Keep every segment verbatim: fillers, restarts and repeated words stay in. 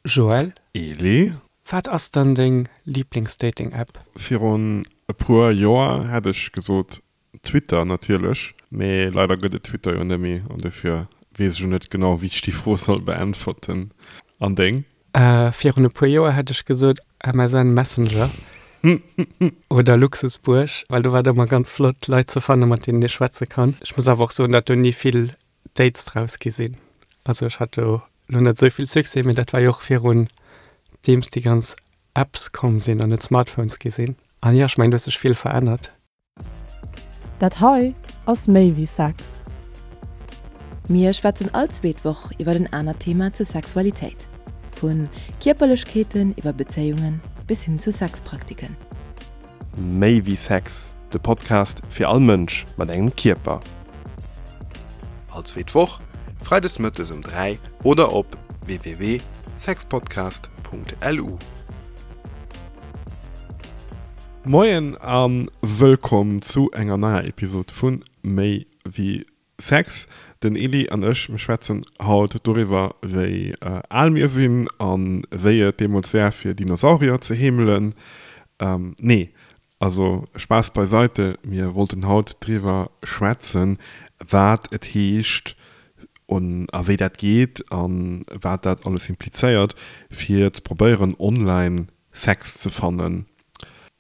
Joël. Eli. Wat ass dann deng Lieblings-Dating-App? Virun e puer Joer hätt ech gesot Twitter natierlech, mee leider gëtt et Twitter jo net méi an dofir weess ech elo net genau wéi ech déi Fro soll beäntwerten. An deng? Virun e puer Joer hätt ech gesot M S N Messenger oder Luxusbuerg, well do war et ëmmer ganz flott Leit ze fannen, mat deenen ee schwätze kann. Ech muss awer och soen, datt do ni vill Dates draus gi sinn. Also ech hat do lo net esou vill Succès, mee dat war jo och virun deems déi ganz Apps komm sinn an et Smartphones gi sinn. An jo, ech mengen, do huet sech vill verännert. Dat hei ass méi wéi Sex. Mir schwätzen all zweet Woch iwwer en anert Thema zur Sexualitéit. Vu Kierperlechkeeten iwwer Bezéiungen bis hin zu Sexpraktiken. Méi wéi Sex, de Podcast fir all Mënsch mat engem Kierper. All zweet Woch, freides mëttes um dräi oder op w w w sexpodcast punkt l u. Moien a wëllkomm zu enger neier Episod vu Méi wéi Sex. Den Eli an ech, mir schwätzen haut doriwwer, wéi al mir sinn a wéi et deemools war, fir Dinosaurier ze heemelen. Nee, also Spaass beiseite, mir wollten haut driwwer schwätzen, wat et heescht a wéi dat geet a wat dat alles implizéiert, fir ze probéieren, online Sex ze fannen.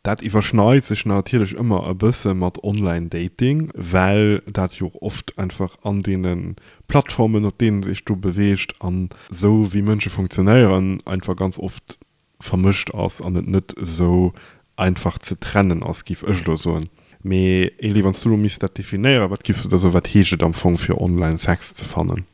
Dat iwwerschneit sech natierlech ëmmer e bësse mat Online-Dating, well dat jo och oft einfach an deene Plattformen, op deenen sech do beweegt an esou wéi Mënsche funktionéieren, einfach ganz oft vermëscht ass an et net esou einfach ze trennen ass, géif ech elo soen. Mee Eli, wann s du elo misst dat definéieren, wat giffs du da soen, wat heescht et am Fong fir Online-Sex ze fannen?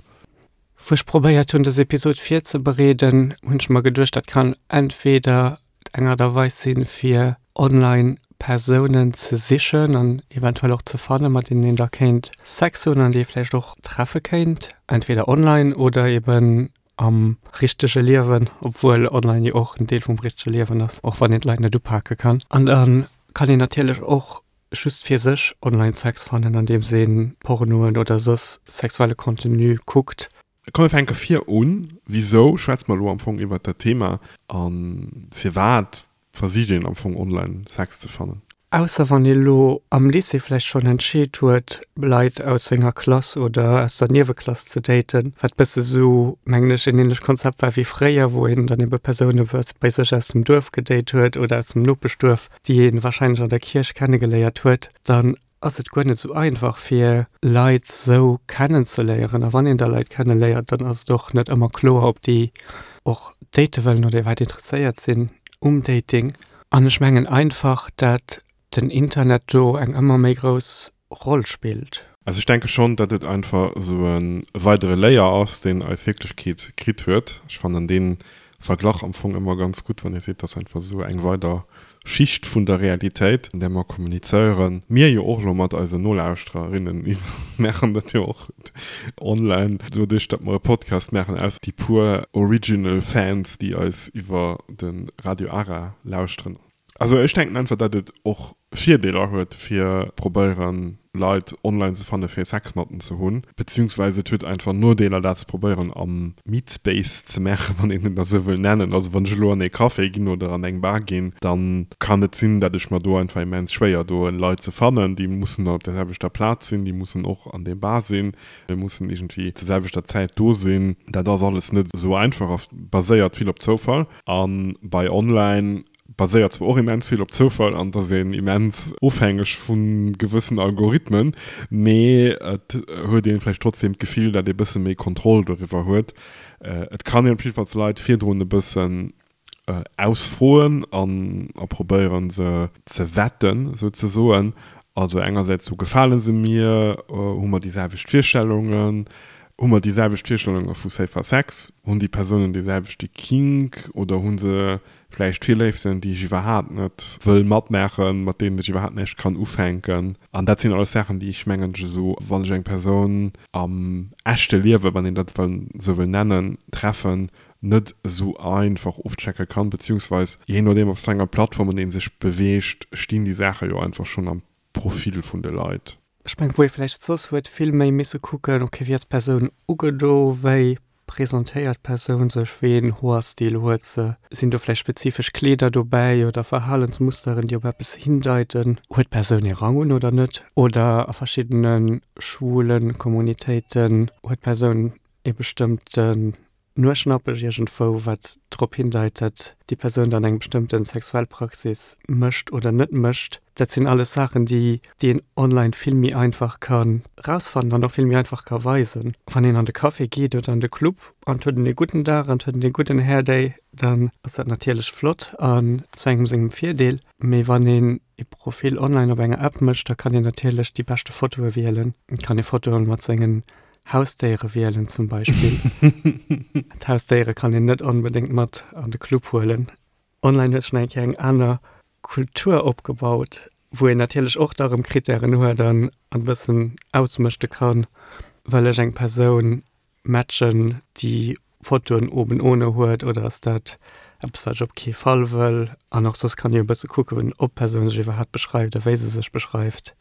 Wou ech probéiert hunn, dës Episod virzebereeden, hunn ech mer geduecht, dat kann entweder eng Aart a Weis sinn, fir online Persounen ze sichen an eventuell och ze fannen, mat deenen een da kéint Sex hunn an déi ee vläicht och treffe kéint, entweder online oder eben am richtege Liewen, obwuel online jo och en Deel vum richtege Liewen ass, och wann een d'Leit net upake kann. An da kann een natierlech och just fir sech online Sex fannen, andeems een Pornoen oder soss sexuelle Contenu kuckt. Komm mir fänke vir un. Wisou schwätze mer elo am Fong iwwert dat Thema a firwat versicht een am Fong online Sex ze fannen? Ausser wann ee lo am Lycée vläicht schonn entscheet huet, Leit aus senger Klass oder aus der Nieweklass ze daten, wat bësse sou, mengen ech, en ähnlecht Konzept war wéi fréier, wou een dann ebe Persoune bei sech aus dem Duerf gedate huet oder aus dem Nopeschduerf, déi ee wahrscheinlech an der Kierch kennegeléiert huet, dann ass et guer net sou einfach fir Leit sou kennenzeléieren. A wann een da Leit kenneléiert, dann ass et och net ëmmer kloer, ob déi och date wëllen oder iwwerhaapt interesséiert sinn um Dating. An ech mengen einfach, dat den Internet do eng ëmmer méi grouss Roll spillt. Also ech denke schonn, datt et einfach esou e weidere Layer ass, deen eis Wierklechkeet kritt huet. Ech fannen dee Verglach am Fong ëmmer ganz gutt, wann ee seet, datt einfach esou eng weider Schicht vun der Realitéit, an där mer kommunizéieren. Mir jo och elo mat eisen Nolauschtererinnen maachen dat jo och online, doduerch datt mer e Podcast maachen, ausser déi puer original Fans, déi eis iwwer de Radio Ara lauschteren. Also ech denken einfach, datt et och Virdeeler huet, fir probéieren, Leit online ze fannen, fir Sex mat en ze hunn, beziehungsweise et huet einfach Nodeeler, dat ze probéieren am Meatspace ze maachen, wann een et esou wëll nennen. Also wann ech elo an ee Café ginn oder an eng Bar ginn, dann kann et sinn, datt ech mer do einfach immens schwéier doen, Leit ze fannen. Déi mussen dann op der selwechter Plaz sinn, déi mussen och an deem Bar sinn, déi mussen iergendwéi zur selwechter Zäit do sinn. Dat ass alles net esou einfach a baséiert vill op Zoufall. A bei online baséiert zwar och immens vill op Zoufall an dass een immens ofhängeg vu gewëssen Algorithmen, mee et huet een vläicht trotzdem d'Gefill, dat ee bësse méi Kontroll doriwwer huet. Et kann een op jiddefalls Leit virdrun e bëssen ausfroen an a probéieren se ze vetten, souzesoen. Also engersäits sou, gefale se mir, hu mer déi selwecht Virstellungen, hu mer déi selwecht Virstellunge vu Safer Sex, hunn déi Persounen dee selwechte Kink oder hu se vläicht Virléiften, déi ech iwwerhaapt net wëll matmaachen, mat deenen ech iwwerhaapt näischt kann ufänken. An dat sinn alles Saachen, déi ech mengen, ech esou, wann ech eng Persoun am echte Liewen, wann een dat esou wëll nennen, treffen, net esou einfach ofchecke kann, beziehungsweis jee nodeem op wat enger Plattform een sech beweegt, stinn déi Saache jo einfach schonn am Profil vun de Leit. Ech mengen, wou ee vläicht soss huet vill méi misse kucken, okay, wéi ass d'Persoun ugedo, wéi presentéiert d'Persoun sech, wéi een Hoerstil huet se, sinn do vläicht spezifesch Kleeder dobäi oder Verhalensmusteren, déi op eppes hindeiten, huet d'Persoun ee Rang un oder net, oder a verschiddene schwule Kommunitéiten huet d'Persoun ee bestëmmten Nueschnappech iergendwou, wat drop hindeit, datt déi Persoun dann eng bestëmmte sexuell Praxis mécht oder net mécht. Dat sinn alles Saachen, déi déi een online vill méi einfach ka rausfannen an och vill méi einfach ka weisen. Wann een an de Café geet oder an de Club an et huet een ee gudden Dag an et huet een ee gudden Hairday, dann ass dat natierlech flott an zu engem sengem Virdeel. Mee wann een ee Profil online op enger App mécht, da kann een natierlech déi beschte Fotoe wielen. Et kann ee Fotoe mat sengen Hausdéiere wielen zum Beispill. D'Hausdéiere kann een net onbedéngt mat an de Club huelen. Online huet sech nach eng Kéier eng aner Kultur opgebaut, wou een natierlech och da rëm Krittären huet an e bëssen ausmëschte kann, wëll ech eng Persoun matchen, déi Fotoen oben ohne huet oder ass dat eppes, wat ech op kee Fall wëll? An och soss kann ee jo e bësse kucken, ob d'Persoun sech iwwerhaapt beschreift a wéi se sech beschreift.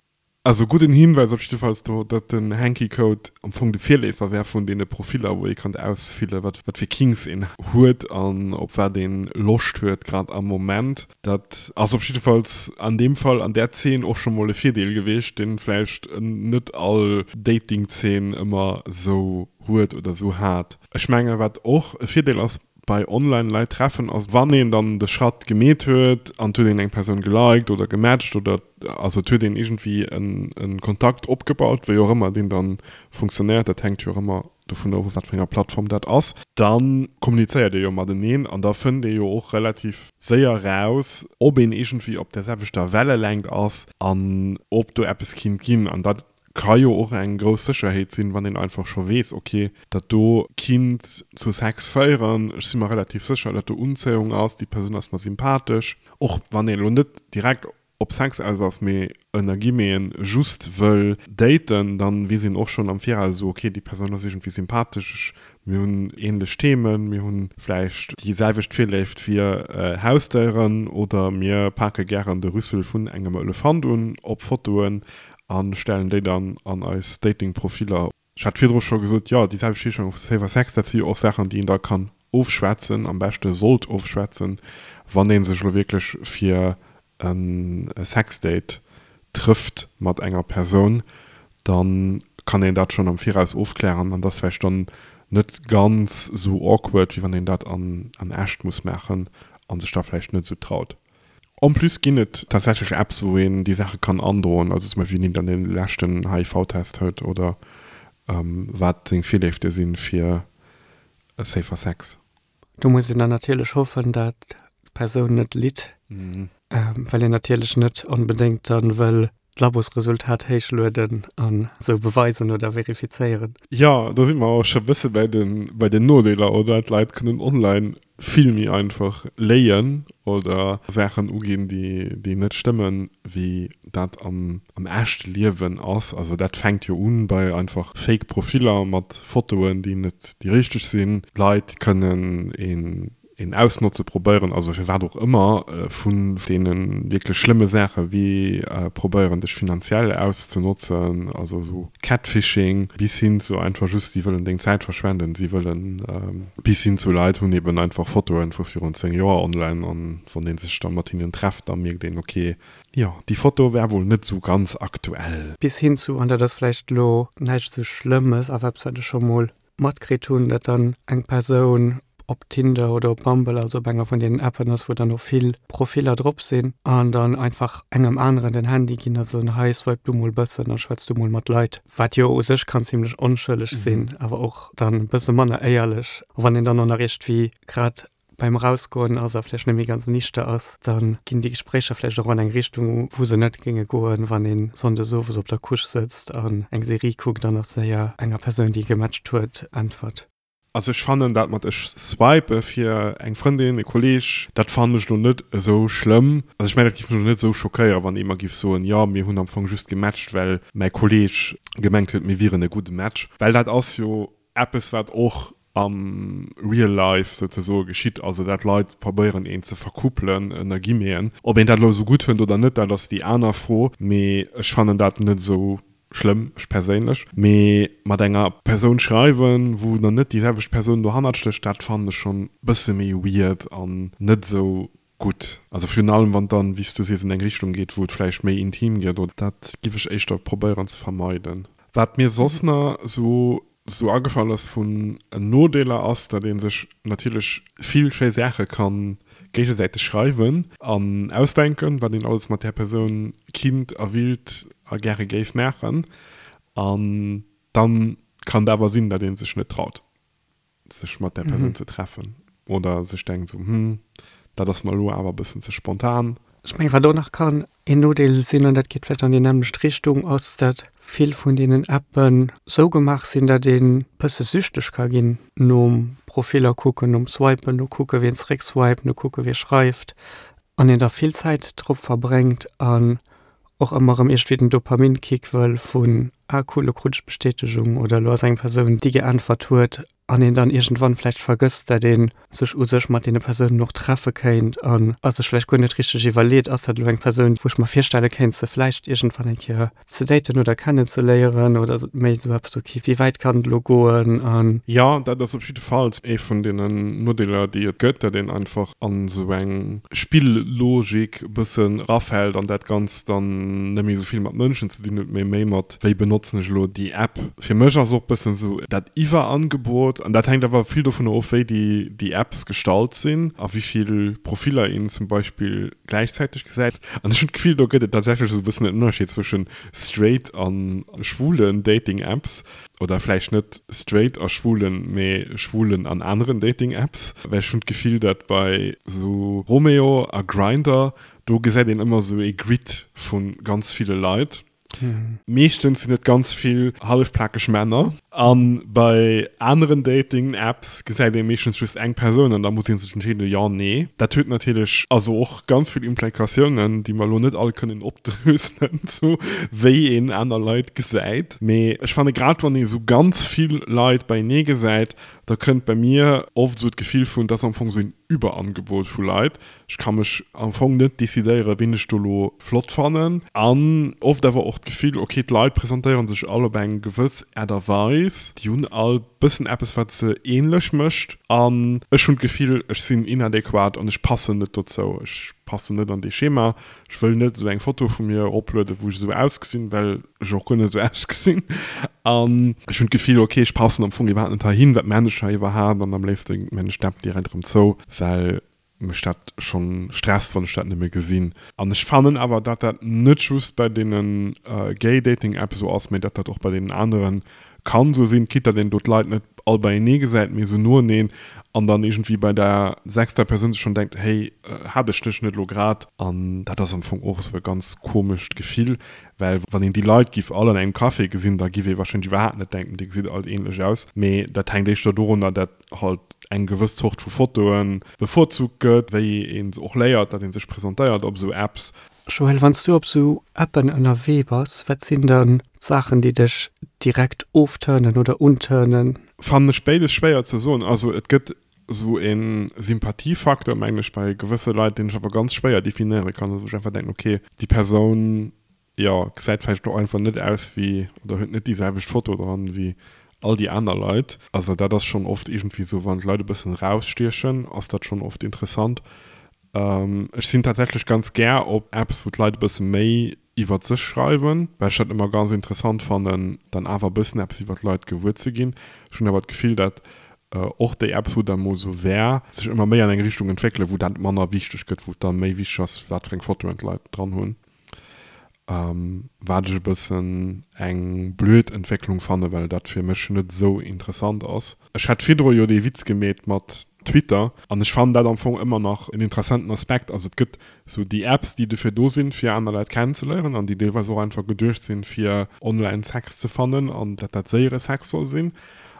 Also gudden Hinweis op jiddefalls do, datt den Hanky Code am Fong de Virleefer wär vun deene Profiller, wou ee kann ausfille wat wat fir Kinks een huet an op wat ee Loscht huet grad am Moment. Dat ass op jiddefalls an deem Fall an där Zeen och scho mol e Virdeel gewiescht, dee vläicht net all Dating-Zeen ëmmer esou huet oder esou hat. Ech menge wat och e Virdeel ass bei online Leit treffen ass, wann een dann de Schratt gemeet huet an et huet een eng Persoun geliked oder gematcht oder also et huet een iergendwéi en Kontakt opgebaut, wéi och ëmmer deen dann funktionéiert, dat hänkt jo och ëmmer dovun of op wat fir enger Plattform dat ass, da kommunizéiert ee jo mateneen an da fënnt ee jo och relativ séier raus, ob een iergendwéi op där selwechter Wellelängt ass an ob do eppes kinnt ginn. An dat ka jo och eng grouss Sécherheet sinn, wann een einfach scho weess, ok, dat do kinnt zu Sex féieren, ech si mer relativ sécher, datt do Unzéiung ass, déi Persoun ass mer sympathesch. Och wann een elo net direkt op Sex aus ass, mee ënner Guillemeten just wëll daten, dann weess een och schonn am Viraus esou, ok, déi Persoun ass iergendwéi sympathesch, ech, mir hunn ähnlech Themen, mir hunn vläicht déi selwecht Virléift fir Hausdéieren oder mir pake gären de Rüssel vun engem Elefant un op Fotoen a stellen déi dann an eis Dating-Profiller. Ech hat virdru scho gesot, jo, déi selwecht Virstellung vu Safer Sex, dat si jo och Saachen, déi een da kann ofschwätzen, am beschte sollt ofschwätzen, wann ee sech elo wierklech fir e Sexdate trëfft mat enger Persoun, da kann een dat schonn am Viraus ofklären an dat ass vläicht dann net ganz esou awkward, wéi wann een dat an echt muss maachen a sech da vläicht net esou traut. En plus ginn et tatsächlech Apps, wou een déi Saache kann androen, also zum Beispill wien dann dee leschten H I V-Test huet oder wat seng Virléifte si fir safer Sex. Do muss een dann natierlech hoffen, dat d'Persoun net litt, well een natierlech net onbedéngt dann wëll d'Labosresultat héichlueden an esou beweisen oder verifizéieren. Jo, do si mer och scho bësse bei den, bei den Nodeeler, oder? D'Leit kënnen online vill méi einfach léien oder Saachen uginn, déi, déi net stëmmen, wéi dat am, am echte Liewen ass. Also dat fänkt jo un bei einfach Fake Profiller mat Fotoen, déi net déi richteg sinn. D'Leit kënnen een een ausnotze probéieren, also firwat och ëmmer, vun deene wierklech schlëmme Saache wéi probéieren dech finanziell auszenotzen, also esou Catfishing, bis hin zu einfach just si wëllen deng Zäit verschwenden, si wëllen, bis hin zu Leit hunn eben einfach Fotoen vu virun zéng Joer online an wann ee sech da mat hinnen trefft, da mierkt een, ok, jo déi Foto war wuel net esou ganz aktuell. Bis hin zu, an dat ass vläicht elo näischt esou Schlëmmes, awer eppes wat ech scho mol matkritt hunn, datt dann eng Persoun op Tinder oder op Bumble, also op enger vun deenen Appen ass, wou dann och vill Profiller drop sinn, an dann einfach engem aneren den Handy ginn a soen, hei swipe du mol bëssen a schwätz du mol mat Leit, wat jo u sech kann zimlech onschëlleg sinn, awer och dann e bësse manner éierlech. A wann een dann och nach iergendwéi grad beim Erausgoen ass a vläicht net méi ganz nichter ass, da ginn déi Gespréicher vläicht och an eng Richtung, wou se net géinge goen, wann ee sonndes owes op der Couche sëtzt an eng Serie kuckt an nach séier enger Persoun, déi ee gematcht huet, äntwert. Also ech fannen dat mat ech swipe fir eng Frëndin, e Kolleg, dat fannen ech lo net esou schlëmm. Also ech mengen dat giff mech lo net esou schockéieren, wann ee mer giff soen, jo mir hunn am Fong just gematcht well mäi Kolleg gemengt huet mir wieren e gudde Match. Well dat ass jo eppes wat och am real life souzesoe geschitt, also dat Leit probéieren een ze verkuppelen ënner Guillemeten. Ob een dat lo esou gutt fënnt oder net, dat ass déi aner Fro, mee ech fannen dat net esou schlëmm, ech perséinlech. Mee mat enger Persoun schreiwen, wou dann net déi selwecht Persoun dohannert stécht, dat fannen ech schonn bësse méi weird an net esou gutt. Also virun allem wann et dann, wéi s du sees, an eng Richtung geet, wou et vläicht méi intim gëtt oder dat giff ech éischter probéieren ze vermeiden. Wat mir soss na sou sou agefall ass vun Nodeeler ass, datt ee sech natierlech vill schéi Saache ka géigesäiteg schreiwen an ausdenken, wat een alles mat där Persoun kinnt a willt a gäre géif maachen. An dann kann et awer sinn, datt ee sech net traut, sech mat där Persoun ze treffen oder sech denkt sou, hm, dat ass mer elo awer e bëssen ze spontan. Ech mengen, wat och nach kann een Nodeel sinn, an dat geet vläicht an déi nämmlecht Richtung, ass, datt vill vun deenen Appen sou gemaach sinn, datt ee bësse süchteg ka ginn nom Profiller kucken, nom Swipen, no kucke wien zeréckswiped, no kucke wie schreift, an een da vill Zäit drop verbréngt an och ëmmer erëm iergendwéi den Dopaminkick wëll vun, ah cool, lo krut ech d'Bestätegung oder lo ass eng Persoun, déi geäntwert huet. An een dann iergendwann vläicht vergësst, dat ee sech u sech mat deene Persounen och treffe kéint an a sech vläicht guer net richteg iwwerleet, ass dat elo eng Persoun, wou ech mer virstelle kéint, se vläicht iergendwann eng Kéier ze daten oder kennenzeléieren oder ass et méi esou eppes, ok, wéi wäit kann et elo goen an. Jo, dat ass op jiddefalls ee vun deenen Nodeeler, déi et gëtt, dat een einfach an esou eng Spillogik e bëssen erafält an dat Ganzt dann net méi esou vill mat Mënschen ze dinn huet, mee méi mat wéi benotzen ech elo déi App. Fir mech ass och bëssen esou dat Iwwerangebot, an dat hänkt awer vill dovunner of, wéi déi déi Apps gestalt sinn a wéi vill Profiller een zum Beispill gläichzäiteg gesäit. An ech hunn d'Gefill, do gëtt et tatsächlech esou e bëssen en Ënnerscheed zwëschen straight a schwulen Dating-Apps, oder vläicht net straight a schwulen, mee schwulen an aneren Dating-Apps, well ech hunn d'Gefill, datt bei esou Romeo a Grindr, do gesäit een ëmmer esou ee Grid vu ganz ville Leit. Meeschtens sinn et ganz vill hallefplakeg Männer. A bei aneren Dating-Apps gesäit ee meeschtens just eng Persoun an da muss ee sech entscheeden, jo, nee. Dat huet natierlech also och ganz vill Implikatiounen, déi mer elo net all kënnen opdröselen, sou wéi een aner Leit gesäit. Mee ech fanne grad wann ee sou ganz vill Leit beienee gesäit, da kënnt bei mir oft esou d'Gefill vun, et ass am Fong esou een Überangebot vu Leit. Ech ka mech am Fong net decidéieren, ween ech do elo flott fannen. An oft awer och d'Gefill, ok, d'Leit presentéiere sech all op eng gewëss Aart a Weis, déi hunn all bëssen eppes, wat se ähnlech mécht. An ech hunn d'Gefill, ech sinn inadequat an ech passen net dozou. Ech passen net an dee Schema. Ech wëll net esou eng Foto vu mir eroplueden, wou ech esou ausgesinn, well ech och guer net esou ausgesinn. An ech hunn d'Gefill, ok, ech passen am Fong iwwerhaapt net heihin, wat maan ech hei iwwerhaapt? An am léifste maan ech d'App direkt erëm zou, well mech dat schonn stresst, wann ech dat nëmme gesinn. An ech fannen awer, dat dat net just bei deene gay Dating Apps esou ass, mee dat dat och bei deenen aneren kann esou sinn, quitte datt een do d'Leit net all beienee gesäit, mee esou noeneen an dann iergendwéi bei der sechster Persoun sech schonn denkt, hey, hat ech dech net elo grad? An dat ass am Fong och esou e ganz komescht Gefill, well wann een déi Leit giff all an engem Café gesinn, da giff ee warscheinlech iwwerhaapt net denken, dir gesitt all ähnlech aus. Mee dat hänkt éischter dorunner, dat halt eng gewëss Zort vu Fotoe bevorzugt gëtt, wéi een och léiert, datt ee sech presentéiert op esou Apps. Joël, wann s du op esou Appen ënnerwee bass, wat sinn dann d'Saachen, déi dech direkt ofturnen oder unturnen? Fannen ech béides schwéier ze soen. Also et gëtt esou e Sympathiefaktor, mengen ech, bei gewësse Leit, deen ech awer ganz schwéier definéiere kann, also wou ech einfach denken, okay, déi Persoun, jo, gesäit vläicht och einfach net aus wéi, oder huet net déi selwecht Foto dran wéi all déi aner Leit. Also dat ass schonn oft iergendwéi esou, wann d'Leit e bëssen erausstiechen, ass dat schonn oft interessant. Ech sinn tatsächlech ganz gär op Apps, wou d'Leit e bësse méi iwwert sech schreiwen, well ech dat ëmmer ganz interessant fannen, dann awer e bëssen eppes iwwert d'Leit gewuer ze ginn. Ech hunn awer d'Gefill, dat och déi Apps, wou dat mol esou war, sech ëmmer méi an eng Richtung entwéckelen, wou dat manner wichteg gëtt, wou et da méi wichteg ass, wat fir eng Fotoen d'Leit dran hunn. Wat ech e bëssen eng blöd Entwécklung fannen, well dat fir mech net esou interessant ass. Ech hat virdru jo dee Witz gemeet mat Twitter an ech fannen dat am Fong ëmmer nach en interessanten Aspekt. Also et gëtt esou déi Apps, déi dofir do sinn, fir aner Leit kennenzeléieren an déi deelweis och einfach geduecht sinn, fir online Sex ze fannen an dat dat séiere Sex soll sinn.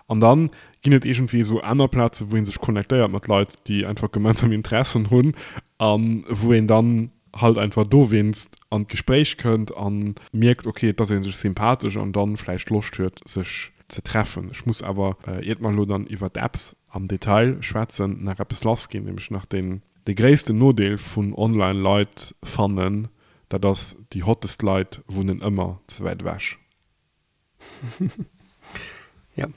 An dann ginn et iergendwéi esou aner Plazen, wou ee sech connectéiert mat Leit, déi einfach gemeinsam Interessen hunn a wou een dann halt einfach dowéinst an d'Gespréich kënnt a mierkt, ok, et ass ee sech sympathesch an dann vläicht Loscht huet, sech ze treffen. Ech muss awer, iert mer elo dann iwwer d'Apps am Detail schwätzen, nach eppes lassginn, nämlech nach deen, dee gréissten Nodeel vun online Leit fannen, dat ass, déi hottest Leit wunnen ëmmer ze wäit ewech. Jo.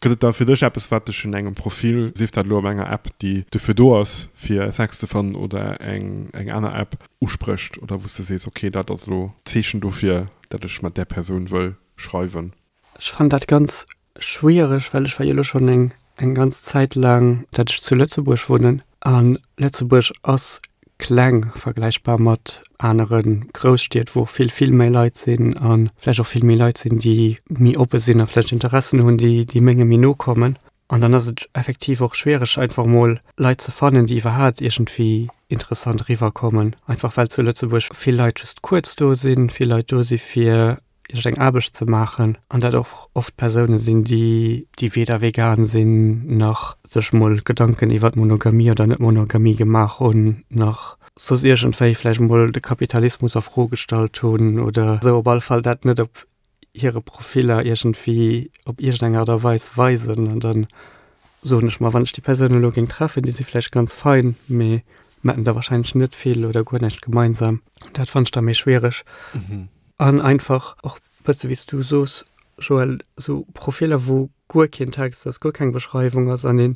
Gëtt et da fir dech eppes, wat dech un engem Profil, sief dat elo op enger App, déi dofir do ass, fir Sex ze fannen, oder eng eng aner App, usprécht oder wou s de sees, ok, dat ass elo d'Zeechen dofir, dat ech mat där Persoun wëll schreiwen? Ech fannen dat ganz schwiereg, well ech war jo elo schonn eng eng ganz Zäit laang, dat ech zu Lëtzebuerg wunnen, a Lëtzebuerg ass kleng, vergläichbar mat anere Grousstied, wou och vill, vill méi Leit sinn a vläicht och vill méi Leit sinn, déi méi oppe sinn a vläicht Interessen hunn, déi, déi menge méi no kommen. An dann ass et effektiv och schwiereg, einfach mol Leit ze fannen, déi iwwerhaapt iergendwéi interessant eriwwerkommen, einfach well zu Lëtzebuerg vill Leit just kuerz do sinn, vill Leit do si fir iergendeng Aarbecht ze maachen an dat och oft Persoune sinn, déi déi weder vegan sinn, nach sech mol Gedanken iwwert Monogamie oder Net-Monogamie gemaach hunn, nach soss iergendwéi vläicht mol de Kapitalismus a Fro gestallt hunn oder esou. Op alle Fall dat net op hire Profiller iergendwéi op iergendeng Aart a Weis weisen. An dann soen ech mer, wann ech déi Persoun elo géing treffen, déi si vläicht ganz fein, mee mer hätten da warscheinlech net vill oder guer näischt gemeinsam. Dat fannen ech da méi schwiereg. An einfach och bësse wéi s du soos, Joël, esou Profiller, wou guer keen Text ass, guer keng Beschreiwung ass an ee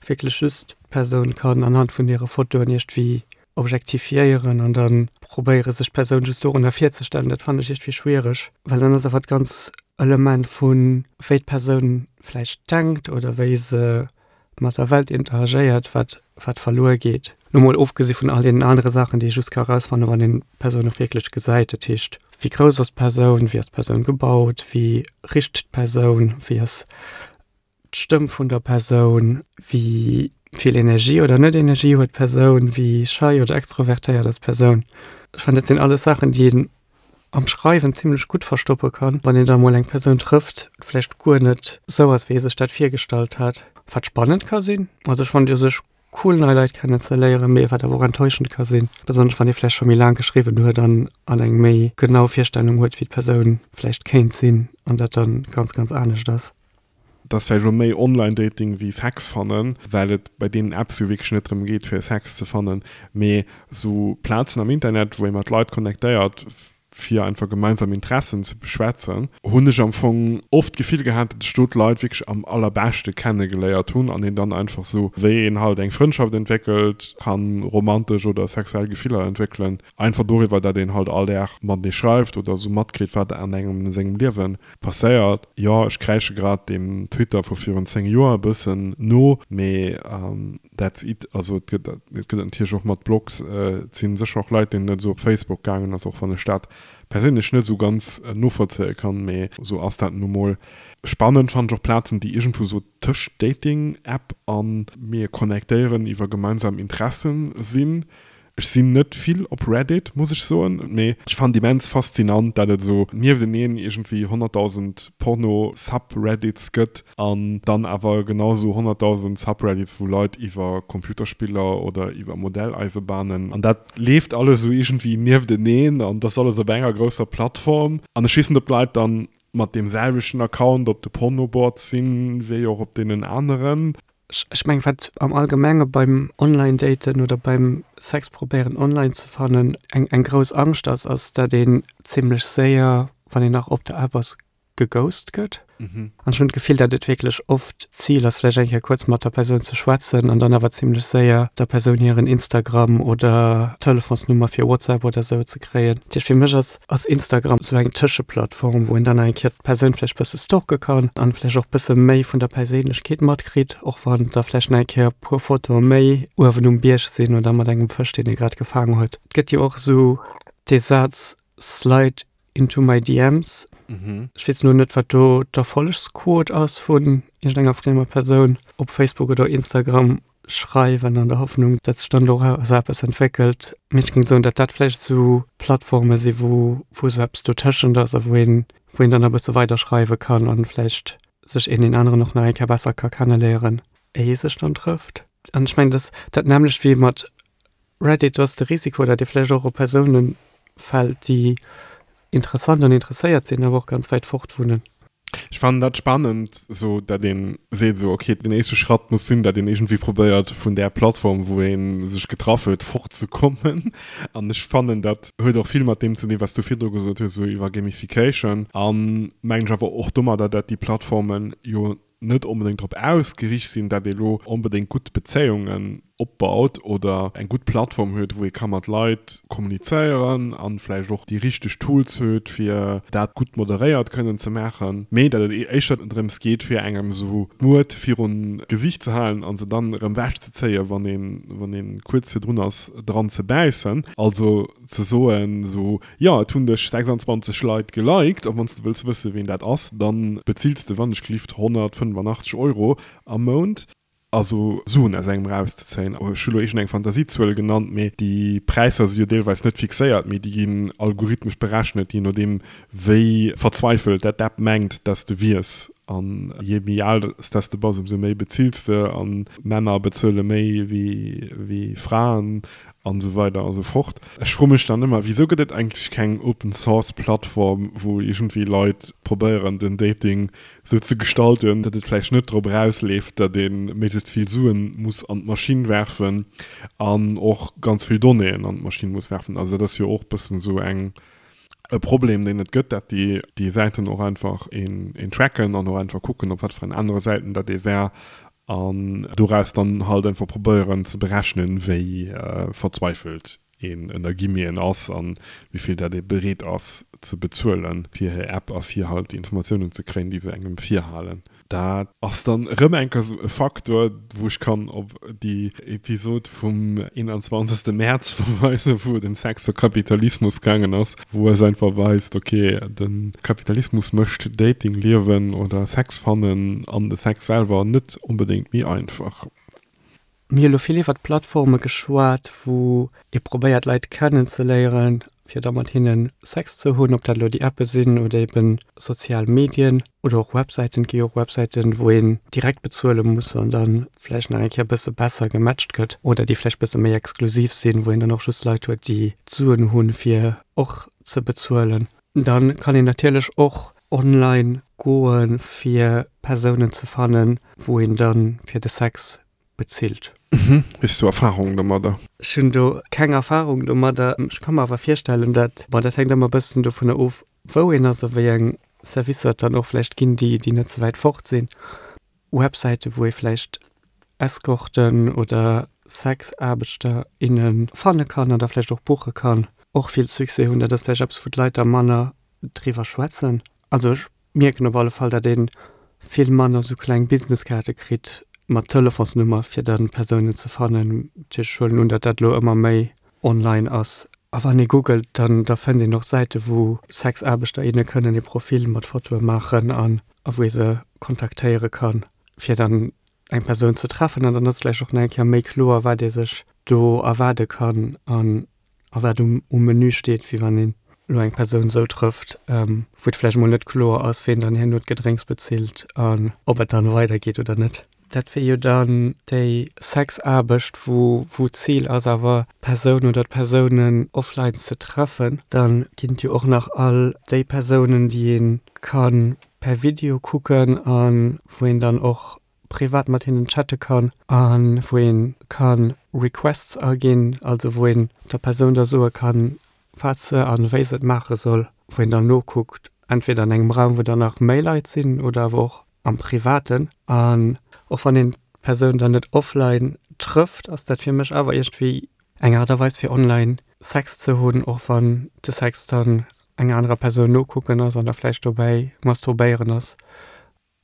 wierklech just d'Persoun kann anhand vun hire Fotoen iergendwéi objektifiéieren an da probéiere sech d'Persoun just dorunner virzestellen, dat fannen ech iergendwéi schwiereg, well dann ass awer d'ganz Element vu wéi d'Persoun vläicht denkt oder wéi se mat der Welt interagéiert, wat wat verluer geet. Lo mol ofgesi vun all deenen anere Saachen, déi ee just ka erausfannen, wann een d'Persoun och wierklech gesäit, dat heescht, wéi grouss ass d'Persoun, wéi ass d'Persoun gebaut, wéi richt d'Persoun, wéi ass d'Stëmm vun der Persoun, wéi vill Energie oder net Energie huet d'Persoun, wéi schei oder extrovertéiert ass d'Persoun. Ech fannen, dat sinn alles Saachen, déi een am Schreiwen zimlech gutt verstoppe kann, wann een da mol eng Persoun trëfft, vläicht guer net sou ass, wéi ee sech dat virgestallt hat. Wat spannend ka sinn. Also ech fannen et u sech cool, nei Leit kennenzeléieren, mee wat awer och enttäuschend ka sinn, besonnesch wann ee vläicht scho méi laang geschriwwen huet an an eng méi genau Virstellung huet, wéi d'Persoun vläicht kéint sinn an dat dann ganz, ganz anescht ass. Et ass vläicht elo méi Online-Dating wéi Sex fannen, well et bei deenen Apps jo wierklech net drëm geet, fir Sex ze fannen, mee esou Plazen am Internet, wou ee mat Leit connectéiert, fir einfach gemeinsam Interessen ze beschwätzen, hunn ech am Fong oft d'Gefill gehat, datt ech do d'Leit wierklech am allerbeschte kennegeléiert hunn an een dann einfach esou, wéi een halt eng Frëndschaft entwéckelt, kann romantesch oder sexuell Gefiller entwéckelen, einfach doriwwer, datt een halt all Dag matenee schreift oder esou matkritt, wat an engem sengem Liewe passéiert. Jo, ech kräische grad deem Twitter vu virun zéng Joer e bëssen no, mee that's it. Also et gëtt et gëtt et natierlech och mat Blogs. Et si sécher och Leit, deenen et esou op Facebook gaangen ass, och wann ech dat perséinlech net esou ganz novollzéie kann, mee esou ass dat nu mol. Spannend fannen ech och Plazen, déi iergendwou esou tëscht Dating-App a mir connectéieren iwwer gemeinsam Interessen sinn. Ech sinn net vill op Reddit, muss ech soen, mee ech fannen et immens faszinant, dat et esou niefteneen iergendwéi honnertdausend Porno-Subreddits gëtt an dann awer genau esou honnertdausend Subreddits, wou Leit iwwer Computerspiller oder iwwer Modelleisebahnen, an dat leeft alles esou iergendwéi niefteneen an dat ass alles op enger grousser Plattform. An ech weess net, ob d'Leit dann mat deem selwechten Account op de Pornoboards sinn, wéi och op deenen aneren. Ech mengen, wat am Allgemenge beim Online-Daten oder beim Sex probéieren online ze fannen eng eng grouss Angscht ass, ass dat een zimlech séier, wann een nach op der App ass, geghost gëtt. An ech hunn d'Gefill, dat et wierklech oft d'Zil ass, vläicht eng Kéier kuerz mat der Persoun ze schwätzen an dann awer zimlech séier der Persoun hiren Instagram oder Telefonsnummer fir WhatsApp oder esou ze kréien. Dat heescht, fir mech ass ass Instagram esou eng Tëscheplattform, wou een dann eng Kéier d'Persoun vläicht bësse stalke kann an vläicht och bësse méi vun der Perséinlechkeet matkritt, och wann da vläicht nach eng Kéier e puer Fotoe méi uewen um Bierg sinn oder mat engem Fësch, deen ee grad gefaangen huet. Et gëtt jo och esou dee Saz Slide into my DMs. Ech weess elo net, wat do d'Erfollegsquot ass vun iergendenger friemer Persoun op Facebook oder Instagram. Schreiwen an der Hoffnung, datt sech dann doraus eppes entwéckelt. Mee ech géing soen, datt dat vläicht esou Plattforme si wou wou esou eppes dotëschent ass a wou een wou een dann e bësse weider schreiwe kann an vläicht sech een deen aneren och nach eng Kéier besser ka kenneléieren, éi ee sech dann trëfft. An ech mengen, datt dat nämmlecht wéi mat Reddit, do ass de Risiko, datt ee vläicht och op Persoune fält, déi interessant an interesséiert sinn, awer och ganz wäit fort wunnen. Ech fannen dat spannend, sou dat een seet sou okay den éischte Schratt muss sinn, dat een iergendwéi probéiert vun där Plattform wou ee sech getraff huet fortzekommen. An ech fannen dat huet och vill mat deem ze dinn, wat s du virdru gesot hues sou iwwer Gamification an mengen ech awer och domadder, dat déi Plattformen jo net onbedéngt drop ausgeriicht sinn, dat ee lo onbedéngt gutt Bezéiungen opbaut oder eng gutt Plattform huet, wou ee ka mat Leit kommunizéieren a vläicht och déi richteg Tools huet, fir dat gutt moderéiert kënnen ze maachen, mee datt et éischter drëms geet, fir engem esou d'Muert virun d'Gesicht ze halen a se dann erëm ewechzezéien, wann een, wann ee kuerz virdrun ass, dran ze bäissen. Also ze soen esou, jo, et hunn dech sechsandzwanzeg Leit geliked a wann s de wëlls wësse ween dat ass, da bezills de wannechgelift honnertfënnefannachtzeg Euro am Mount. Also Suen aus engem erauszezéien. Ech hu lo iergendeng Fantasiezuel genannt, mee déi Präisser si jo deelweis net fixéiert, mee déi ginn algorithmesch berechnet, jee nodeem wéi verzweifelt dat d'App mengt, dass de wiers. An jee méi al s dass de bass, ëmsou méi bezills de. A Männer bezuele méi wéi Fraen an esou weider a sou fort. Ech froe mech dann ëmmer, wisou gëtt et eigentlech keng Open Source Plattform, wou iergendwéi Leit probéieren den Dating sou ze gestalten, datt et vläicht net drop erausleeft, datt ee méiglechst vill Suen muss an d'Maschinn werfen an och ganz vill Donnéeën an d'Maschinn muss werfen. Also dat ass jo och bëssen esou eng e Problem, deen et gëtt, datt déi déi Säiten och einfach een een tracken an och einfach kucken, op wat fir en anere Säiten datt ee war an doraus dann halt einfach probéieren ze berechnen, wéi verzweifelt een ënner Guillemeten ass an wéi vill dat ee bereet ass ze bezuelen fir hir App a fir halt déi Informatiounen ze kréien, déi se engem virhalen. Dat ass dann erëm eng Kéier esou e Faktor, wou ech kann op déi Episod vum eenanzwanzegste Mäerz verweisen, wou et ëm Sex a Kapitalismus gaangen ass, wou eis einfach weist, ok, de Kapitalismus mécht Dating-Liewen oder Sex fannen an de Sex selwer net onbedéngt méi einfach. Mir hu lo vill iwwert Plattforme geschwat, wou ee probéiert Leit kennenzeléieren, fir da mat hinne Sex ze hunn, ob dat elo déi Appe sinn oder eben sozial Medien oder och Websäiten. Et gi jo och Websäiten, wou een direkt bezuele muss an da vläicht nach eng Kéier e bësse besser gematcht gëtt oder déi vläicht bësse méi exklusiv sinn, wou een dann och just Leit huet, déi d'Suen hunn, fir och ze bezuelen. Dann kann een natierlech och online goen, fir Persounen ze fannen, wou een dann fir de Sex bezilt. Mhm. Hues du Erfahrung domadder? Ech hunn do keng Erfahrung domadder. Ech ka mer awer virstellen, dat, bon, dat hänkt ëmmer e bëssen dovunner of, wou een ass a wéi eng Servicer et dann och vläicht ginn, déi, déi net ze wäit fort sinn. Websäite wou ee vläicht Escorten oder Sexaarbechter, inne fanne kann an da vläicht och buche kann, och vill Succès hunn. Dat ass vläicht eppes, wou d'Leit da manner driwwer schwätzen. Also ech mierken op alle Fall, datt ee vill manner sou kleng Businesskaarte kritt mat Telefonsnummer, fir dann Persounen ze fannen. Dat heescht, ech huelen un, datt dat elo ëmmer méi online ass. A wann ee googelt, dann da fënnt een och Säite wou Sexaarbechter, inne kënnen ee Profil mat Fotoe maachen an a wou ee se kontaktéiere kann, fir dann eng Persoun ze treffen. An dann ass vläicht och nach eng Kéier méi kloer, wat ee sech do erwaarde kann an a wat um um Menü steet, wéi wann een elo eng Persoun esou trëfft, wou et vläicht emol net kloer ass, ween dann herno d'Gedrénks bezilt an ob et dann weidergeet oder net. Dat wier jo dann déi Sexaarbecht, wou wou d'Zil ass awer d'Persoun oder d'Persounen offline ze treffen. Dann ginn et jo och nach all déi Persounen, déi ee ka per Video kucken a wou een dann och privat mat hinnen chatte kann a wou ee ka Requests aginn, also wou een der Persoun da soe kann, wat se a wéi se et maache soll, wou een dann nokuckt, entweder an engem Raum, wou dann nach méi Leit sinn oder awer och am Privaten. An och wann een d'Persoun dann net offline trëfft, ass dat fir mech awer iergendwéi eng Aart a Weis fir online Sex ze hunn, och wann de Sex dann enger anerer Persoun nokucken ass an da vläicht dobäi masturbéieren ass.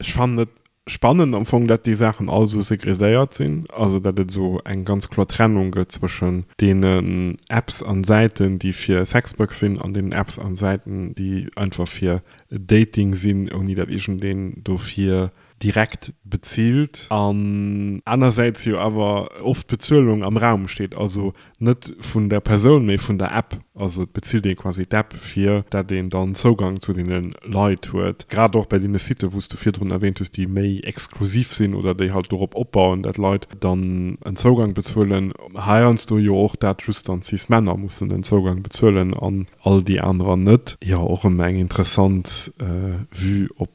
Ech fannen et spannend am Fong, dat déi Saachen all esou segreséiert sinn, also dat et esou eng ganz kloer Trennung gëtt zwëschen deenen Apps an Säiten, déi fir Sexwork sinn an deenen Apps an Säiten, déi einfach fir Dating sinn, ouni dat iergendeen dofir direkt bezilt. An anersäits jo awer oft d'Bezuelung am Raum steet, also net vun der Persoun, mee vun der App. Also et bezilt ee quasi d'App, fir dat een dann Zougang zu deene Leit huet. Grad och bei deene Siten, wou s du virdrun erwähnt hues, déi méi exklusiv sinn oder déi halt dorop opbauen, dat Leit dann en Zougang bezuelen. Heiansdo jo och dat just dann Cis-Männer mussen en Zougang bezuelen an all déi anerer net. Jo, och erëm eng interessant Vue op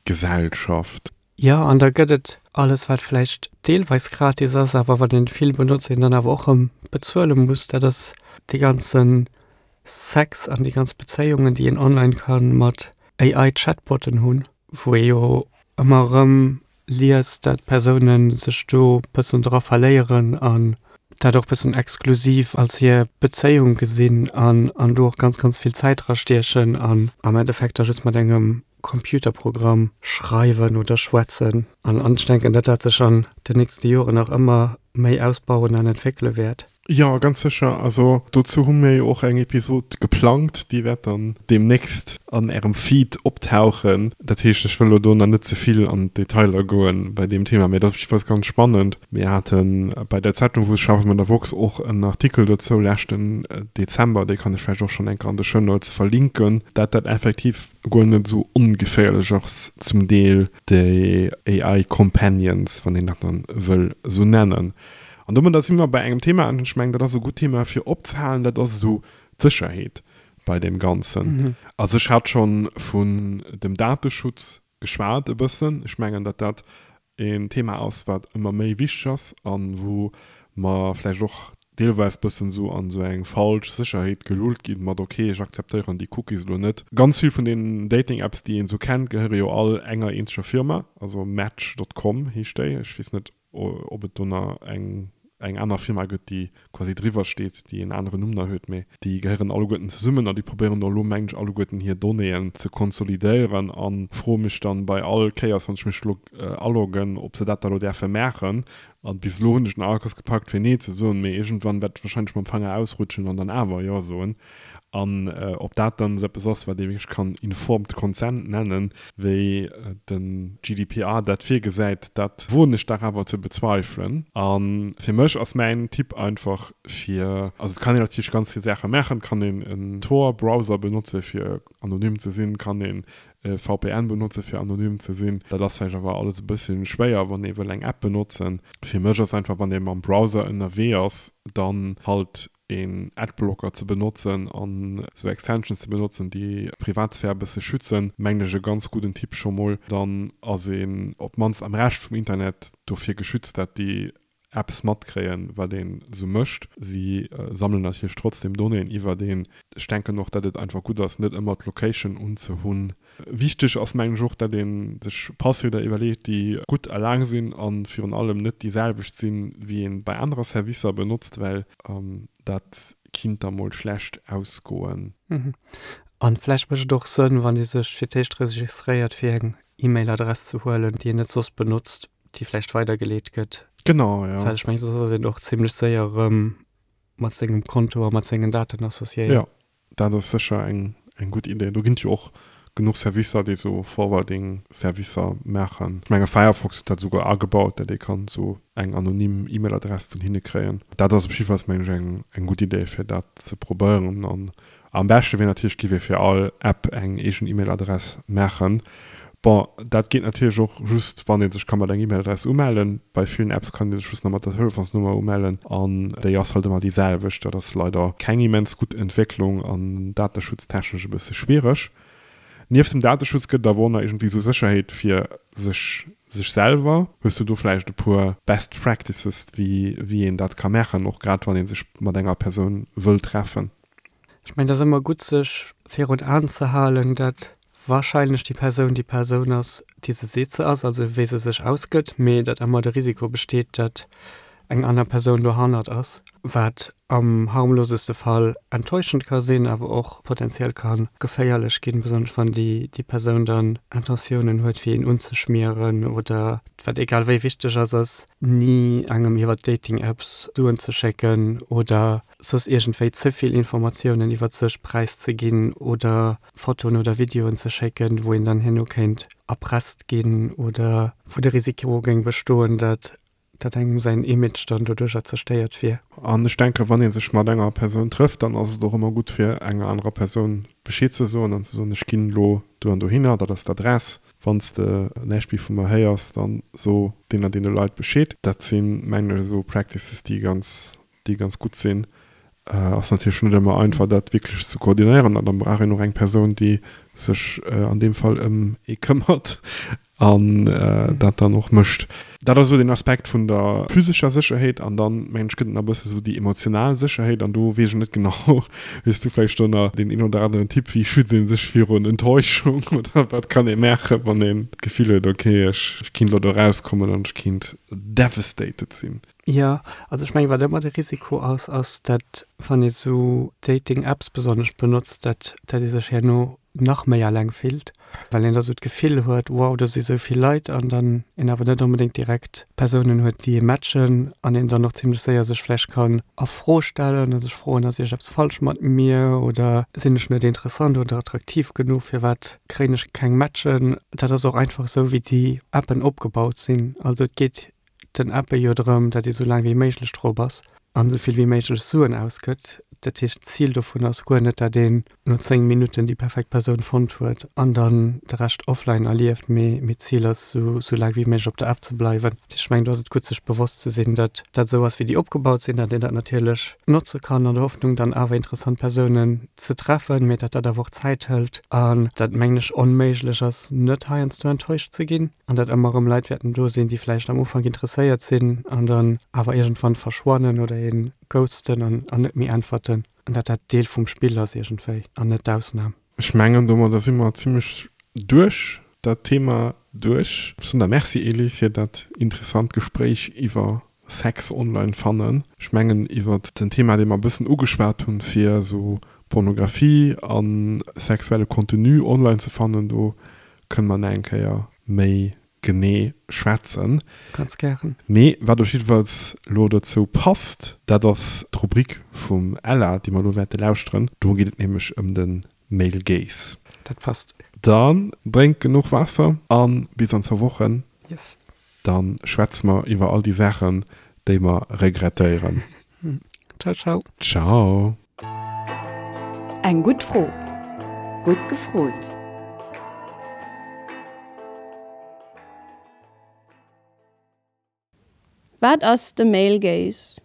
Gesellschaft. Jo, an da gëtt et alles, wat vläicht deelweis gratis ass, awer wat een vill benotzt, een dann awer och erëm bezuele muss. Dat ass dee ganze Sex an déi ganz Bezéiungen, déi een online ka mat AI-Chatbotten hunn, wou ee jo ëmmer erëm liest, dat Persoune sech do bëssen dra verléieren an dat och bëssen exklusiv als hir Bezéiung gesinn an an do och ganz, ganz vill Zäit dra stiechen an am Endeffekt da just mat engem Computerprogramm schreiwen oder schwätzen. An an ech denken, dat dat sech an den nächste Joren nach ëmmer méi ausbauen an entwéckele wäert. Jo, ganz sécher. Also dozou hu mir jo och eng Episod geplangt, déi wäert dann deemnächst an Ärem Feed optauchen. Dat heescht, ech wëll elo do nach net ze vill an d'Detailer goen bei deem Thema, mee dat ass op jiddefalls ganz spannend. Mir hate bei der Zeitung, wou ech schaffen, bei der woxx, och en Artikel dozou leschten Dezember, dee kann ech vläicht och schonn eng Kéier an de Show Notes verlinken, dat dat effektiv guer net esou ongeféierlech ass zum Deel, déi AI Companions, wann een dat dann wëll esou nennen. An domadder si mer bei engem Thema, an ech mengen, dat ass e gutt Thema fir opzehalen, dat ass esou d'Sécherheet bei deem Ganzen. Also ech hat scho vun dem Dateschutz geschwat e bëssen. Ech mengen, datt dat een Thema ass, wat ëmmer méi wichteg ass a wou mer vläicht och deelweis bëssen esou an esou eng falsch Sécherheet gelullt ginn, mat ok, ech akzeptéieren déi Cookies elo net. Ganz vill vun den Dating-Apps, déi een esou kennt, gehéiere jo all enger eenzeger Firma, also Match dot com heescht déi, ech weess net, ob et do nach eng eng aner Firma gëtt, déi quasi driwwer steet, déi en aneren Numm nach huet, mee déi gehéieren alleguerten zesummen a déi probéieren och elo, mengen ech, alleguerten hir Donnéeën ze konsolidéieren a froe mech dann bei all Kéiers, wann ech mech elo aloggen, ob se dat da elo däerfe maachen. An bis elo hunn ech den Arkus gepackt fir nee ze soen, mee iergendwann wäert ech wahrscheinlech mam Fanger ausrutschen an dann awer jo soen. An ob dat dann esou eppes ass, wat ee wierklech kann informed consent nennen, wéi de G D P R dat virgesäit, dat woen ech dach awer ze bezweifelen. A fir mech ass mäin Tipp einfach fir, also et kann een natierlech ganz vill Saache maachen, et kann een en Tor-Browser benotze fir anonym ze sinn, et kann een e V P N benotze fir anonym ze sinn. Dat ass vläicht awer alles e bësschen schwéier, wann ee wëll eng App benotzen. Fir mech ass einfach, wann ee mam Browser ënnerwee ass, dann halt een Adblocker ze benotzen an esou Extensions ze benotzen, déi d'Privatsphär e bësse schützen, mengen ech e ganz gudden Tipp scho mol. Dann ass een op d'mannst am Rescht vum Internet dofir geschützt, dat déi Apps matkréien, wat een esou mécht. Si sammelen natierlech trotzdem Donnéeën iwwert een. Ech denken och, datt et einfach gutt ass, net ëmmer d'Location unzehunn. Wichteg ass, mengen ech, och, datt ee sech Passwierder iwwerleet, déi gutt a laang sinn a virun allem net déi selwecht sinn, wéi ee bei anerer Servicer benotzt, well dat kinnt da mol schlecht ausgoen. An vläicht mécht et och Sënn, wann ee sech fir d'éischt registréiert, fir eng E-Mail-Adress ze huelen, déi een net soss benotzt, déi vläicht weidergeleet gëtt. Genau, ja. Well ech mengen, soss ass een och zimlech séier erëm mat sengem Konto a mat sengen Daten associéiert. Ja, dat ass sécher eng, eng gutt Idee. Do ginn et jo och genuch Servicer, déi esou Forwarding-Servicer maachen. Ech menge Firefox huet dat esouguer agebaut, datt ee kann esou eng anonym E-Mail-Adress vun hinne kréien. Dat ass op jiddefalls, mengen ech, eng, eng gutt Idee, fir dat ze probéieren. An am beschte wier natierlech, giff ee fir all App eng eegen E-Mail-Adress maachen. Bon, dat geet natierlech och just, wann ee sech ka mat enger E-Mail-Adress umellen. Bei villen Apps kann ee sech just nach mat der Telefonsnummer umellen an déi ass halt ëmmer déi selwecht. Dat ass leider keng immens gutt Entwécklung an dateschutztechnesch e bësse schwiereg. Nieft dem Dateschutz gëtt et awer och nach iergendwéi esou Sécherheet fir sech sech selwer. Hues du do vläicht e puer Best Practices, wéi wéi een dat ka maachen, och grad wann ee sech mat enger Persoun wëll treffen? Ech mengen, et ass ëmmer gutt, sech virun Aen ze halen, dat wahrscheinlech déi Persoun déi Persoun ass, déi se seet se ass, also wéi se sech ausgëtt, mee datt ëmmer de Risiko besteet, datt eng aner Persoun dohannert ass, wat am harmloseste Fall enttäuschend ka sinn, awer och potenziell ka geféierlech ginn, besonnesch wann déi déi Persoun dann Intentiounen huet, fir een unzeschmieren oder wat egal wéi wichteg ass, ass ni engem iwwer Dating-Apps Suen ze schécken oder soss iergendwéi ze vill Informatiounen iwwer sech präiszeginn oder Fotoen oder Videoen ze schécken, wou een dann herno kéint erpresst ginn oder wou de Risiko géing bestoen, datt datt engem säin Image dann doduercher zerstéiert wier. An ech denken, wann ee sech mat enger Persoun trëfft, dann ass et och ëmmer gutt fir enger anerer Persoun Bescheed ze soen an ze soen, ech ginn elo do an dohinner, dat ass d'Adress, wann s de näischt méi vu mer héiers, dann so deenen an deene Leit Bescheed. Dat sinn, mengen ech, esou Practices, déi ganz, déi ganz gutt sinn. Ass natierlech net ëmmer einfach, dat wierklech ze koordinéieren an dann brauch een och eng Persoun, déi sech an deem Fall ëm ee këmmert an dat dann och mécht. Dat ass esou den Aspekt vun der physescher Sécherheet an dann, mengen ech, gëtt et nach e bësse sou déi emotional Sécherheet an do weess ech net genau, hues du vläicht do nach deen een oder aneren Tipp, wéi schützt ee sech virun Enttäuschung oder wat kann ee maachen, wann een d'Gefill huet, okay, ech kinnt elo do erauskommen an ech kinnt devastated sinn? Jo, also ech mengen, wat ëmmer de Risiko ass, ass, datt wann ee sou Dating-Apps besonnesch benotzt, datt datt ee sech herno nach méi alleng fillt, well een da sou d'Gefill huet, wow, do si sou vill Leit an dann een awer net onbedéngt direkt Persounen huet, déi ee matchen an een dann och zimlech séier sech vläicht kann a Fro stellen a sech froen, ass iergeppes falsch mat mir oder sinn ech net interessant oder attraktiv genuch, firwat kréien ech keng Matchen? Dat ass och einfach sou, wéi déi Appen opgebaut sinn. Also et geet den Appe jo drëm, datt ee sou laang wéi méiglech drop ass an esou vill wéi méiglech Suen ausgëtt. Dat heescht, d'Zil dovun ass guer net, datt een no zéng Minutten déi perfekt Persoun fonnt huet an dann de Rescht offline erlieft, mee mee d'Zil ass, esou sou laang wéi méiglech op der App ze bleiwen. Dat heescht, ech mengen, do ass et gutt, sech bewosst ze sinn, datt dat esou ass, wéi déi opgebaut sinn, datt een dat natierlech notze kann an der Hoffnung, dann awer interessant Persounen ze treffen, mee datt dat awer och Zäit hëlt an dat, mengen ech, onméiglech ass, net heiansdo enttäuscht ze ginn an datt ëmmer erëm Leit wäerten do sinn, déi vläicht am Ufank interesséiert sinn an dann awer iergendwann verschwannen oder ee ghosten an an net méi äntwerten an datt dat Deel vum Spill ass iergendwéi an net d'Ausnam. Ech mengen, domadder si mer zimlech duerch dat Thema duerch. Ech soen der Merci, Elie, fir dat interessant Gespréich iwwer Sex online fannen. Ech mengen, iwwer den Thema, dee mer e bëssen ugeschwat hunn, fir esou Pornografie a sexuelle Contenu online ze fannen, do kënne mer nach eng Kéier méi genee schwätzen. Ganz gären. Mee wat op jiddefalls elo dozou passt, dat ass d'Rubrik vum Ella, déi mer elo wäerte lauschteren. Do geet et nämlech ëm de Male Gaze. Dat passt. Dann drénkt genuch Waasser a bis an zwou Wochen. Yes. Da schwätze mer iwwer all déi Saachen, déi mer regrettéieren. Ciao, ciao. Ciao. Eng gutt Fro. Gutt gefrot. Wat ass de Male Gaze?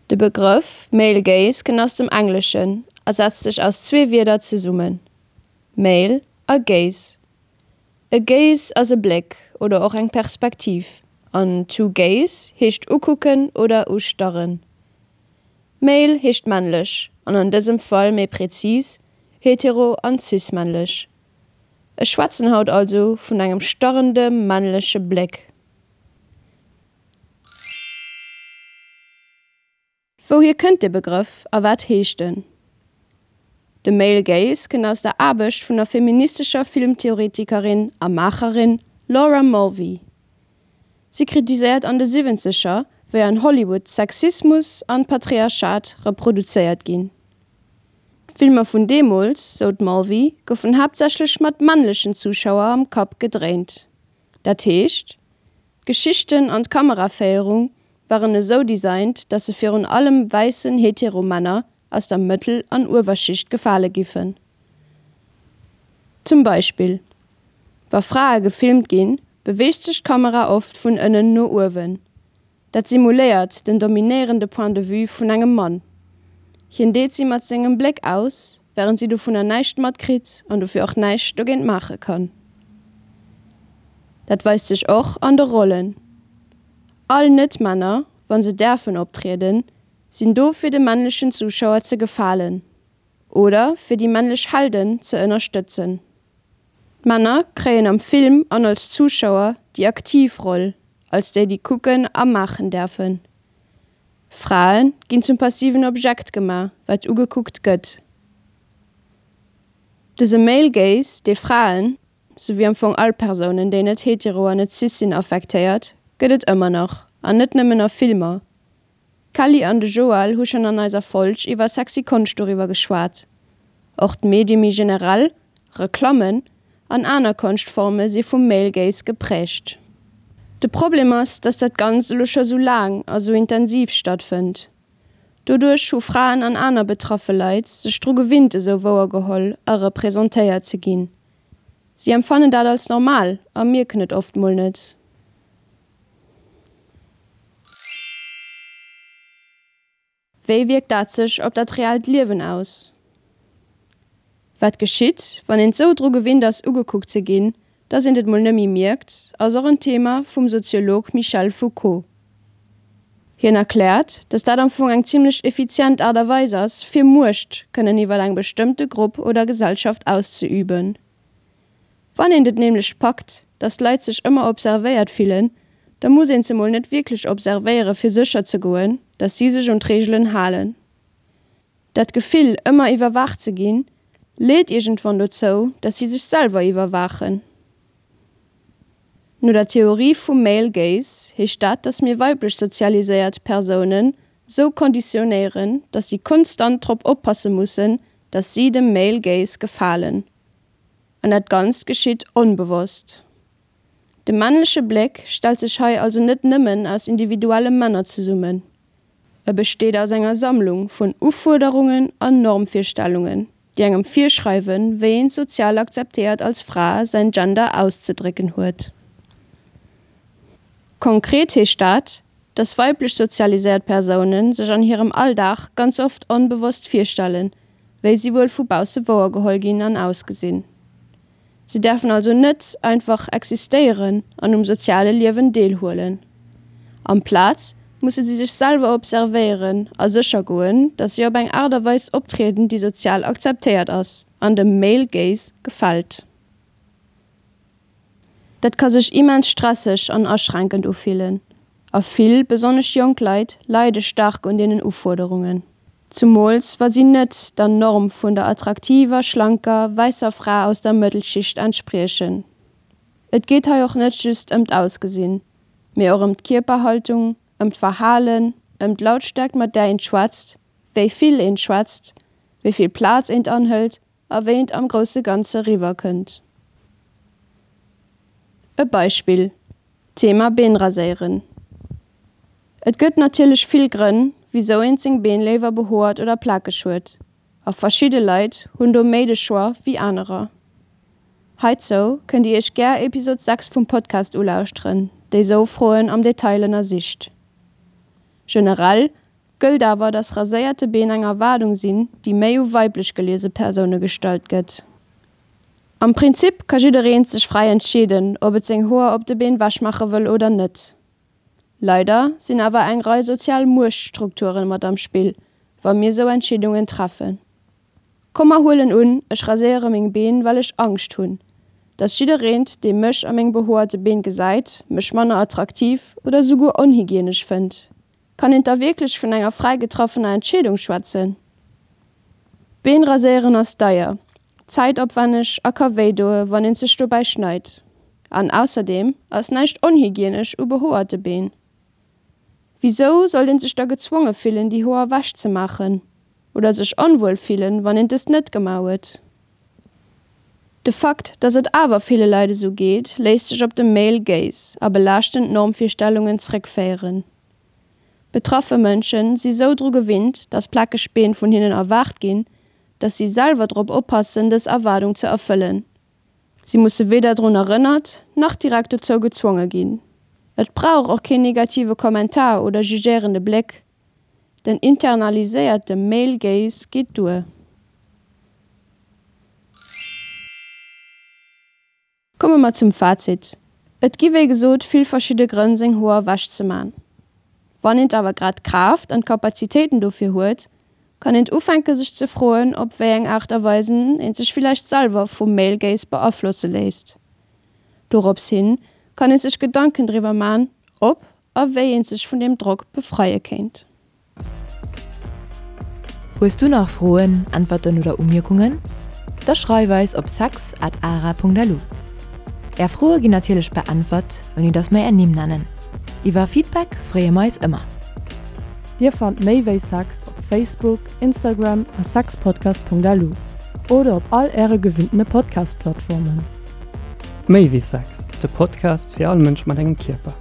De Begrëff Male Gaze kënnt aus dem Engleschen a setzt sech aus zwee Wierder zesummen, Male a Gaze. E Gaze ass e Bléck oder och eng Perspektiv an to gaze heescht ukucken oder ustarren. Male heescht männlech an an dësem Fall méi prezis hetero an cis-männlech. Ech schwätzen haut also vun engem starrende männleche Bléck. Wouhier kënnt dee Begrëff a wat heescht en? De Male Gaze kënnt aus der Aarbecht vun der feministescher Filmtheoretikerin a Maacherin Laura Mulvey. Si kritiséiert an de Siwwenzeger, wéi an Hollywood Sexismus an d'Patriarchat reproduzéiert ginn. D'Filmer vun deemools, sou d'Mulvey, goufen haaptsächlech mat männlechen Zuschauer am Kapp gedréint. Dat heescht, d'Geschichten an d'Kameraféierung waren esou designt, dass se virun allem wäissen Hetero-Männer aus der Mëttel an Uewerschicht gefale giffen. Zum Beispill, wa Frae gefilmt ginn, beweegt sech d'Kamera oft vun ënnen no uewen. Dat simuléiert den dominéierende Point de vue vun engem Mann. Hien deet si mat sengem Bléck aus, wärend si dovunner näischt matkritt an dofir och näischt dogéint maache kann. Dat weist sech och an de Rollen. All Net-Männer, wa se däerfen optrieden, sinn do fir de männlechen Zuschauer ze gefalen oder fir déi männlech Helden ze ënnerstëtzen. D'Männer kréien am Film an als Zuschauer déi aktiv Roll, als déi déi kucken a maachen däerfen. Frae ginn zum passiven Objekt gemaach, wat ugekuckt gëtt. Dëse Male Gaze, dee Fraen, sou wéi am Fong all Persounen, déi net hetero an net cis sinn, affektéiert, gëtt et ëmmer nach, an net nëmmen a Filmer. D'Kelly an de Joël hu schonn an eiser Folg iwwer sexy Konscht doriwwer geschwat. Och d'Medie méi generell, Reklammen an aner Konschtforme si vum Male Gaze geprägt. De Problem ass, dass dat Ganzt elo scho sou laang a sou intensiv stattfënnt. Doduerch hu Fraen an aner betraffe Leit sech dru gewinnt esou wouergeholl a representéiert ze ginn. Si empfannen dat als normal a mierken et oft mol net. Wéi wierkt dat sech op dat reellt Liewen aus? Wat geschitt, wann eent sou dru gewinnt ass ugekuckt ze ginn, dass eent et mol nëmmi mierkt, ass och en Thema vum Soziolog Michel Foucault. Hien erkläert, dass dat am Fong eng zimmlech effizient Aart a Weis ass, fir Muecht kënnen iwwer eng bestëmmte Grupp oder Gesellschaft auszeüben. Wann eent et nämlech packt, dass d'Leit sech ëmmer observéiert fillen, da muss een se mol net wierklech observéiere fir sécher ze goen, dass si sech un d'Reegelen halen. Dat Gefill, ëmmer iwwerwaacht ze ginn, leet iergendwann dozou, dass si sech selwer iwwerwaachen. No der Theorie vum Male Gaze heescht dat, dass mir weiblech sozialiséiert Persounen sou konditionéieren, dass si konstant drop oppasse mussen, dass si dem Male Gaze gefalen. An dat Ganzt geschitt onbewosst. De männleche Bléck stellt sech hei also net nëmmen aus individuelle Männer zesummen. E besteet aus enger Sammlung vun Ufuerderungen an Normvirstellungen, déi engem virschreiwen, wéi een sozial akzeptéiert als Fra säin Gender auszedrécken huet. Konkret heescht dat, dass weiblech sozialiséiert Persounen sech an hirem Alldag ganz oft onbewosst virstellen, wéi si wuel vu bausse wouergeholl ginn an ausgesinn. Si däerfen also net einfach existéieren an um soziale Liewen deelhuelen. Amplaz musse si sech selwer observéieren a sécher goen, dass si op eng Aart a Weis optrieden, déi sozial akzeptéiert ass an dem Male Gaze gefält. Dat ka sech immens stresseg an aschränkend ufillen a vill, besonnesch jonk Leit, leide staark un deenen Ufuerderungen. Zumools wa si net der Norm vun der attraktiver, schlanker, wäisser Fra aus der Mëttelschicht entspriechen. Et geet hei och net just ëm d'Ausgesinn, mee och ëm d'Kierperhaltung, ëm d'Verhalen, ëm d'Lautstäerkt mat där eent schwätzt, wéi vill eent schwätzt, wéi vill Plaz eent anhëlt a wéi eent am grousse Ganze riwwer kënnt. E Beispill, Thema Been raséieren. Et gëtt natierlech vill Grënn, wisou eent seng Been léiwer behoert oder plakeg huet, a verschidde Leit hunn do méi de Choix wéi anerer. Heizou kënnt Dir Iech gär Episod sechs vum Podcast ulauschteren, déi sou Froen am Detail ënnersicht. Generell gëllt awer, dass raséierte Been eng Erwaardung sinn, déi méi u weiblech geliese Persoune gestallt gëtt. Am Prinzip ka jiddereent sech fräi entscheeden, ob et seng Hoer op de Been wechmaache wëll oder net. Leider sinn awer eng Rei sozial Muechtstrukture mat am Spill, wa mir sou Entscheedungen treffen. Komm mer huelen un, ech raséiere meng Been, well ech Angscht hunn, dass jiddereent, dee mech a meng behoerte Been gesäit, mech manner attraktiv oder souguer onhygienesch fënnt. Kann eent da wierklech vun enger fräi getraffener Entscheedung schwätzen? Been raséieren ass deier, zäitopwänneg a ka wéi doe wann eent sech dobäi schneit. An ausserdeem ass näischt onhygienesch u behoerte Been. Wisou sollt een sech da gezwonge fillen déi Hoer wech ze maachen? Oder sech onwuel fillen wann eent dëst net gemaach huet? De Fakt, dass et awer ville Leit esou geet, léisst sech op de Male Gaze a belaaschtend Normvirstellungen zréckféieren. Betraffe Mënsche si sou dru gewinnt, dass plakeg Been vun hinnen erwaart ginn, dass si selwer drop oppassen, dës Erwaardung ze erfëllen. Si musse weder drun erënnert, nach direkt dozou gezwonge ginn. Et brauch och keen negative Kommentar oder jugéierende Bléck, den internaliséierte Male Gaze geet duer. Komme mer zum Fazit, Et gi wéi gesot vill verschidde Grënn seng Hoer wech ze man. Wann eent awer grad d'Kraaft an d'Kapazitéiten dofir huet, kann eent ufänke sech ze froen op wéi eng Aart a Weisen eent sech villäicht selwer vum Male Gaze beaflosse léisst. Dorops hin kann eent sech Gedanken driwwer man, ob a wéi eent sech vun deem Drock befreie kéint. Hues du nach Froen, Äntwerten oder Umierkungen? Da schreif eis op sex at ara punkt lu. Är Froe ginn natierlech beäntwert, ouni dass mer är Nimm nennen. Iwwer Feedback freeë mer eis ëmmer. Dir fannt méi wéi Sex op Facebook, Instagram a sexpodcast.lu oder op all äre gewinntene Podcast-Plattformen. Méi wéi Sex, de Podcast fir all Mënsch mat engem Kierper.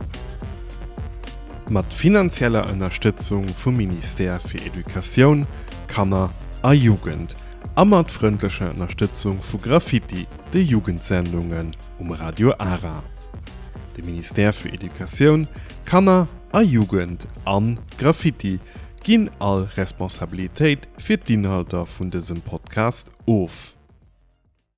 Mat finanzieller Ënnerstëtzung vum Ministère fir Educatioun, Kanner a Jugend a mat frëndlecher Ënnerstëtzung vu Graffiti, de Jugendsendungen um Radio Ara. De Ministère fir Educatioun, Kanner a Jugend an Graffiti ginn all Responsabilitéit fir d'Inhalter vun dësem Podcast of.